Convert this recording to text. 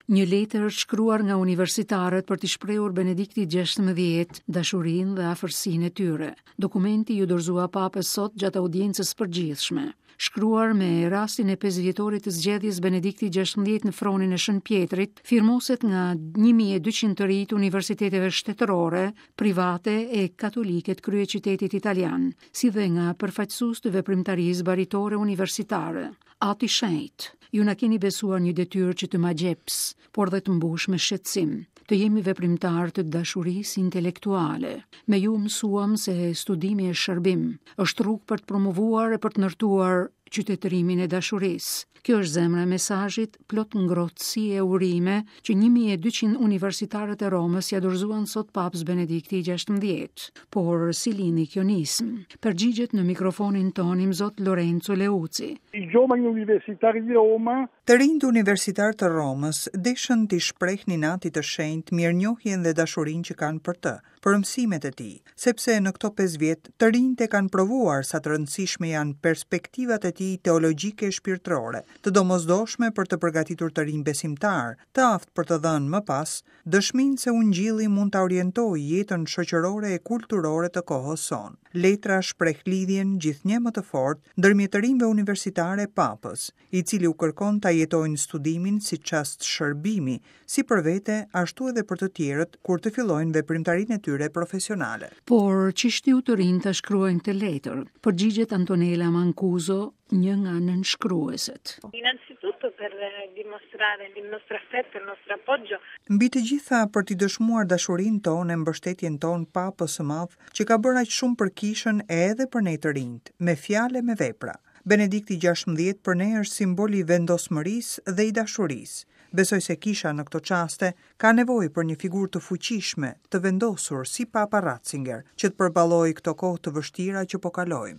Një letër është shkruar nga universitarët për t'i shprehur Benediktit XVI dashurinë dhe afërsinë e tyre. Dokumenti iu dorëzua Papës sot gjatë audiencës së përgjithshme. Shkruar me rastin e pesëvjetorit të zgjedhjes Benediktit XVI në fronin e Shën Pjetrit, firmoset nga 1200 të rinj të universiteteve shtetërore, private e katolike të kryeqytetit italian, si dhe nga përfaqësues të veprimtarisë baritore universitare. Ati i Shenjtë, ju na keni besuar një detyrë që të magjeps, por dhe të mbush me shqetësim, të jemi veprimtarë të dashurisë intelektuale. Me ju mësuam se studimi është shërbim, është rrugë për të promovuar e për të ndërtuar qytetërimin e dashurisë. Kjo është zemra e mesazhit plot ngrohtësi e urime që 1200 universitarët e Romës ia dorëzuan sot Papës Benedikti i XVI. Por si lindi kjo nismë? Përgjigjet në mikrofonin tonë Imzot Lorenzo Leuci. I giovani universitari di Roma Të rinjtë universitarë të Romës deshën t'i shprehnin Atit të Shenjtë mirënjohjen dhe dashurinë që kanë për të, për mësimet e tij, sepse në këto pesë vjet të rinjtë e kanë provuar sa të rëndësishme janë perspektivat e tij teologjike e shpirtërore, të domosdoshme për të përgatitur të rinj besimtarë, të aftë për të dhënë më pas dëshminë se Ungjilli mund ta orientojë jetën shoqërore e kulturore të kohës sonë. Letra shpreh lidhjen gjithnjë më të fortë ndërmjet të rinjve universitarë e Papës, i cili u kërkon ta jetojnë studimin si çast shërbimi, si për vete, ashtu edhe për të tjerët kur të fillojnë veprimtarinë e tyre profesionale. Por ç'i shtyu të rinjtë ta shkruajnë këtë letër? Përgjigjet Antonella Mancuso, një nga nënshkrueset. Innanzitutto per dimostrare il nostro affetto, il nostro appoggio. Mbi të gjitha për t'i dëshmuar dashurinë tonë e mbështetjen tonë Papës së Madh, që ka bërë aq shumë për Kishën e edhe për ne të rinjtë, me fjalë e me vepra. Benedikti 16 për ne është simbol i vendosmërisë dhe i dashurisë. Besoj se Kisha në këto çaste ka nevojë për një figurë të fuqishme, të vendosur si Papa Ratzinger, që të përballojë këto kohë të vështira që po kalojmë.